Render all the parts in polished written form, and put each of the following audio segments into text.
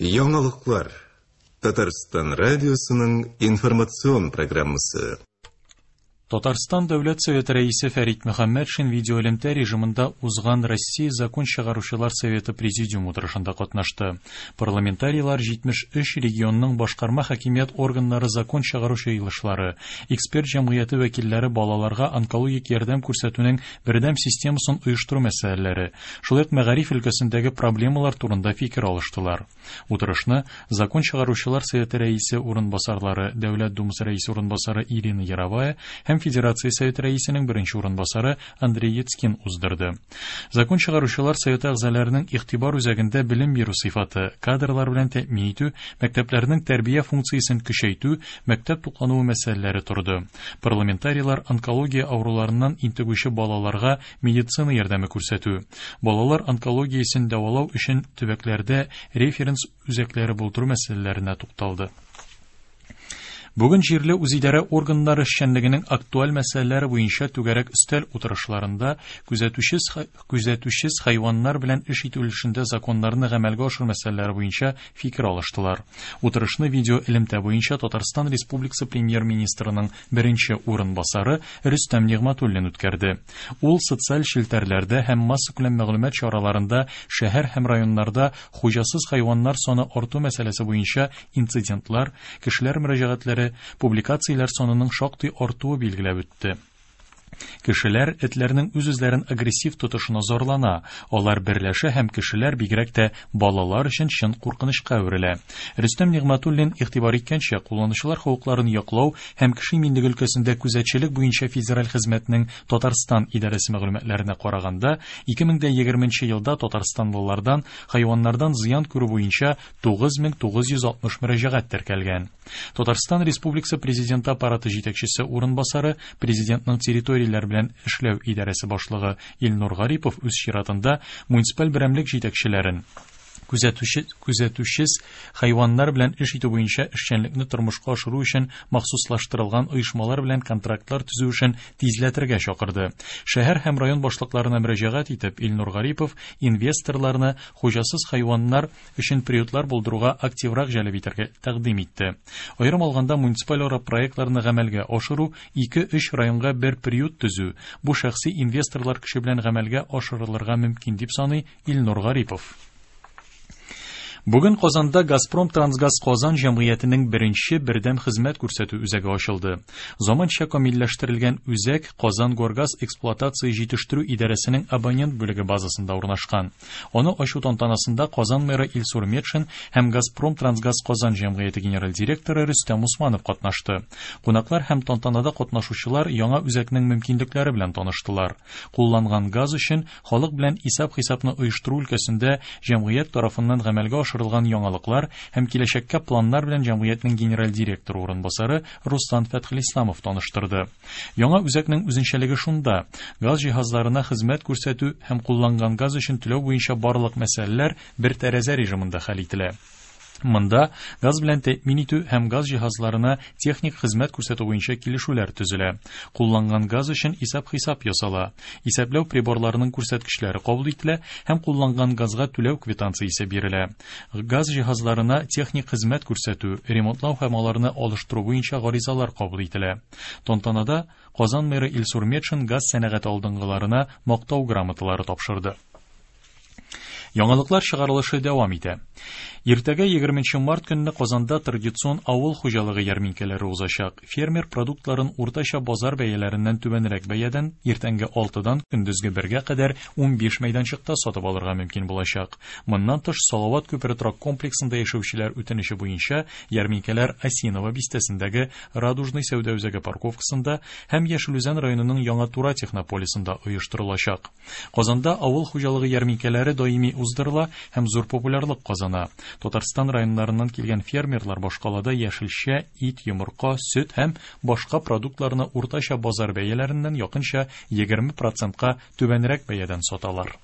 Яңалыклар. Татарстан радиосының информацион программасы. Татарстан Дәүләт Советы Рәисе Фәрит Мөхәммәтшин видеоэлемтә режимында узган Россия Закон чыгаручылар советы президиум утырышында катнашты. Парламентарийлар 73 регионның башкарма хакимият органнары закон чыгару җыелышлары, эксперт җәмгыяте вәкилләре балаларга онкологик ярдәм күрсәтүнең бердәм системасын оештыру мәсьәләләре, шулай ук мәгариф өлкәсендәге проблемалар турында фикер алыштылар. Утырышны Закон чыгаручылар советы рәисе урынбасарлары, Дәүләт Думасы рәисе урынбасары Ирина Яровая һәм Федерация Советы рәисенең беренче урынбасары Андрей Яцкин уздырды. Закон чыгаручылар советы әгъзаларының игътибар үзәгендә белем бирү сыйфаты, кадрлар белән тәэмин итү, мәктәпләрнең тәрбия функциясен көчәйтү, мәктәп туклануы мәсьәләләре торды. Парламентарийлар онкология авыруларыннан интегүче балаларга медицина ярдәме күрсәтү, балалар онкологиясен дәвалау өчен төбәкләрдә референс үзәкләре булдыру мәсьәләләренә тукталды. Бүген җирле үзидарә органнары эшчәнлегенең актуаль мәсьәләләре буенча түгәрәк өстәл утырышларында күзәтүчесез күзәтүчесез хайваннар белән эш итү өлешендә законнарны гамәлгә ашыру мәсьәләләре буенча фикер алыштылар. Утырышны видео элемтә буенча Татарстан Республикасы премьер-министрының беренче урынбасары Рөстәм Нигъмәтуллин үткәрде. Ул социаль челтәрләрдә һәм массакүләм мәгълүмат чараларында шәһәр һәм районнарда хуҗасыз хайваннар саны арту мәсьәләсе буенча инцидентлар, кешеләр мөрәҗәгатьләре, публикацияләр санының шактый артуы билгеләп үтте. Кешеләр этләрнең үз-үзләрен агрессив тотышына зарлана, алар берләшә һәм кешеләр, бигрәк тә балалар өчен чын куркынычка әверелә. Рөстәм Нигъмәтуллин игътибар иткәнчә, кулланучылар хокукларын яклау һәм кеше иминлеге өлкәсендә күзәтчелек буенча федераль хезмәтнең Татарстан идарәсе мәгълүматларына караганда, 2020 елда татарстанлылардан хайваннардан зыян күрү буенча 9960 мөрәҗәгать теркәлгән. Татарстан Республикасы Президенты аппараты җитәкчесе урынбасары, Президентның территорияләр белән эшләү идарәсе башлыгы Илнур Гарипов үз чиратында муниципаль берәмлек җитәкчеләрен күзәтүче күзәтүчес хайваннар белән эш итү буенча эшчәнлекне тормышка ашыру өчен махсуслаштырылган оешмалар белән контрактлар төзү эшен тизләтергә чакырды. Шәһәр һәм район башлыкларына мөрәҗәгать итеп, Илнур Гарипов инвесторларны хуҗасыз хайваннар өчен приютлар булдыруга активрак җәлеп итәргә тәкъдим итте. Аерым алганда, муниципаль ара проектларны гамәлгә ашыру, ике-өч районга бер приют төзү, бу шәхси инвесторлар көче белән гамәлгә ашырылырга мөмкин, дип саный Илнур Гарипов. Бүген Казанда Газпром Трансгаз Казан җәмгыятенең беренче бердәм хезмәт күрсәтү үзәге ачылды. Заманча камилләштерелгән үзәк Казан Горгаз эксплуатация җитештерү идарәсенең абонент бүлеге базасында урнашкан. Аны ачу тантанасында Казан мэры Илсур Метшин һәм Газпром Трансгаз Казан җәмгыяте генераль директоры Рөстәм Усманов катнашты. Кунаклар һәм тантанада катнашучылар яңа үзәкнең мөмкинлекләре белән таныштылар. Кулланган газ өчен халык белән исәп-хисапны оештыру өлкәсендә җәмгыять тарафыннан гамәлгә ашырылган яңалыклар һәм киләчәккә планнар белән җәмгыятьнең генераль директоры урынбасары Руслан Фәтхелисламов таныштырды. Яңа үзәкнең үзенчәлеге шунда, газ җиһазларына хезмәт күрсәтү һәм кулланган газ өчен түләү буенча барлык мәсьәләләр бер тәрәзә режимында хәл ителә. Монда газ белән тәэмин итү һәм газ җиһазларына техник хезмәт күрсәтү буенча килешүләр төзелә. Кулланган газ өчен исәп-хисап ясала, исәпләү приборларының күрсәткечләре кабул ителә һәм кулланган газга түләү квитанциясе бирелә. Газ җиһазларына техник хезмәт күрсәтү, ремонтлау һәм аларны алыштыру буенча гаризалар кабул ителә. Тантанада Казан мэры Илсур Метшин газ сәнәгате алдынгыларына мактау грамоталары тапшырды. Яңалыклар чыгарылышы дәвам итә. Иртәгә 20 март көнне Казанда традицион авыл хуҗалыгы ярминкәләре узачак. Фермер продуктларын уртача базар бәяләреннән түбәнрәк бәядән иртәнге 6-дан көндезге 1-гә кадәр 15 мәйданчыкта сатып алырга мөмкин булачак. Моннан тыш, Салават күпере торак комплексында яшәүчеләр үтенече буенча ярминкәләр Осиново бистәсендәге Радужный сәүдә үзәге парковкасында һәм Яшел Үзән районының Яңа Тура технополисында оештырылачак. Казанда авыл хуҗалыгы ярминкәләре даими уздырыла һәм зур популярлык казана. Татарстан районнарыннан килгән фермерлар башкалада яшелчә, ит, йомырка, сөт һәм башка продуктларны уртача базар бәяләреннән якынча 20 процентка түбәнрәк бәядән саталар.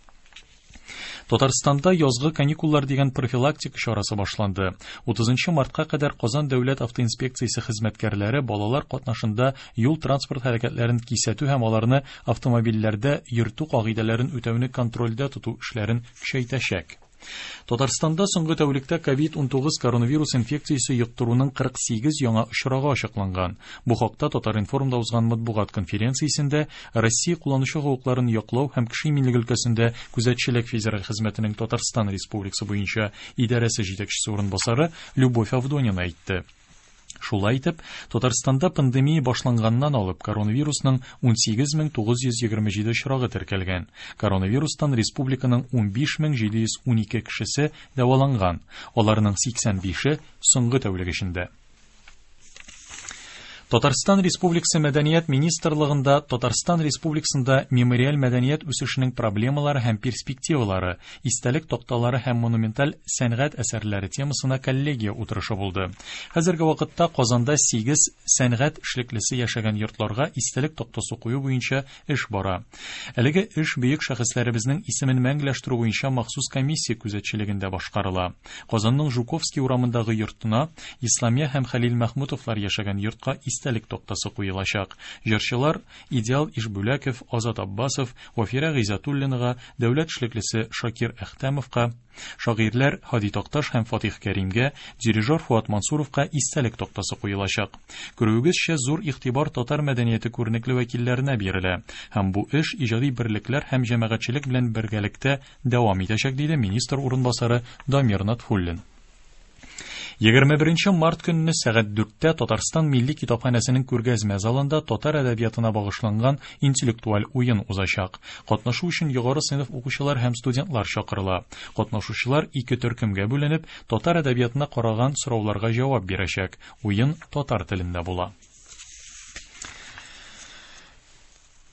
Татарстанда язгы каникуллар дигән профилактика чарасы башланды. 30 мартка кадәр Казан дәүләт автоинспекциясе хезмәткәрләре балалар катнашында юл-транспорт хәрәкәтләрен кисәтү һәм аларны автомобильләрдә йөртү кагыйдәләрен үтәүне контрольдә тоту эшләрен көчәйтәчәк. Татарстанда соңгы тәүлектә COVID-19 коронавирус инфекциясе йоктыруның 48 яңа очрагы ачыкланган. Бу хакта Татар-информда узган матбугат конференциясендә Россия кулланучы хокукларын яклау һәм кеше иминлеге өлкәсендә күзәтчелек федераль хезмәтенең Татарстан Республикасы буенча идарәсе җитәкчесе урынбасары Любовь Авдонина әйтте. Шулай итеп, Татарстанда пандемия башланганнан алып коронавирусның 18927 очрагы теркәлгән. Коронавирустан республиканың 15712 кешесе дәваланган, аларның 85-е соңгы тәүлек эчендә. Татарстан Республикасы Мәдәният министрлыгында Татарстан Республикасында мемориаль мәдәният үсешенең проблемалары һәм перспективалары, истәлек такталары һәм монументаль сәнгать әсәрләре темасына коллегия утырышы булды. Хәзерге вакытта Казанда 8 сәнгать эшлеклесе яшәгән йортларга истәлек тактасы кую буенча эш бара. Әлеге эш бөек шәхесләребезнең исемен мәңгеләштерү буенча махсус комиссия күзәтчелегендә башкарыла. Казанның Жуковский урамындагы йортына Исламия һәм Хәлил Мәхмүтовлар яшәгән йортка истәлек тактасы куелачак. Җырчылар Идеал Ишбүләков, Азат Аббасов, Вафира Гыйззәтуллинага, дәүләт эшлеклесе Шакир Әхтәмовка, шагыйрьләр Һади Такташ һәм Фатих Кәримгә, дирижер Фуат Мансуровка истәлек тактасы куелачак. Күрүегезчә, зур игътибар татар мәдәнияте күренекле вәкилләренә бирелә һәм бу эш иҗади берлекләр һәм җәмәгатьчелек белән бергәлектә дәвам итәчәк, диде министр урынбасары Дамир Натфуллин. 21 март көнне сәгать 4-тә Татарстан Милли китапханәсенең күргәзмә залында татар әдәбиятына багышланган интеллектуаль уен узачак. Катнашу өчен югары сыйныф укучылар һәм студентлар чакырыла. Катнашучылар ике төркемгә бүленеп, татар әдәбиятына караган сорауларга җавап бирәчәк. Уен татар телендә була.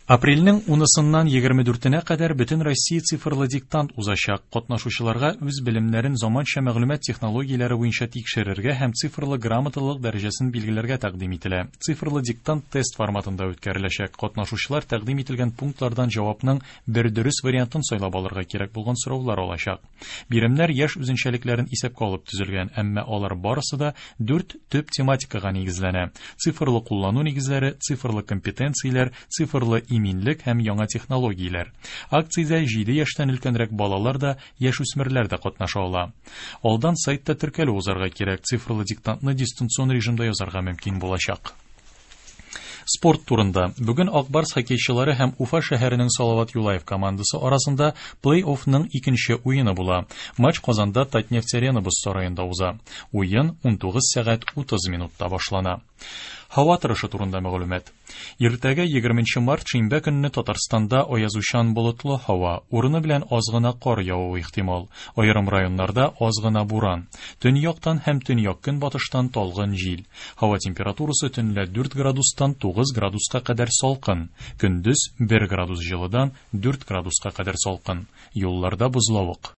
Апрельнең 10-сыннан 24-нә кадәр бөтен Россия цифрлы диктант узачак. Катнашучыларга үз белемнәрен заманча мәгълүмат технологияләре буенча тикшерергә һәм цифрлы грамоталылык дәрәҗәсен билгеләргә тәкъдим ителә. Цифрлы диктант тест форматында үткәреләчәк. Катнашучылар тәкъдим ителгән пунктлардан җавапның бер дөрес вариантын сайлап алырга кирәк булган сораулар алачак. Биремнәр яшь үзенчәлекләрен исәпкә алып төзелгән, әмма алар барысы да дүрт төп тематикага нигезләнә: цифрлы куллану нигезләре, цифрлы компетенцияләр, цифрлы иминлек һәм яңа технологияләр. Акциядә 7 яшьтән өлкәнрәк балалар да, яшүсмерләр дә катнаша ала. Алдан сайтта теркәлү узарга кирәк. Цифрлы диктантны дистанцион режимда язарга мөмкин булачак. Спорт турында. Бүген Ак Барс хоккейчылары һәм Уфа шәһәренең Салават Юлаев командасы арасында плей-оффның икенче уены була. Матч Казанда Татнефть Арена боз сараенда уза. Уен 19 сәгать 30 минутта башлана. Һава торышы турында мәгълүмат. Иртәгә 20 март шимбә көнне Татарстанда аязучан болытлы һава, урыны белән аз гына кар явуы ихтимал. Аерым районнарда аз гына буран. Төньяктан һәм төньяк-көнбатыштан талгын җил. Һава температурасы төнлә 4 градустан 9 градуска кадәр салкын, көндез 1 градус җылыдан 4 градуска кадәр салкын. Юлларда бозлавык.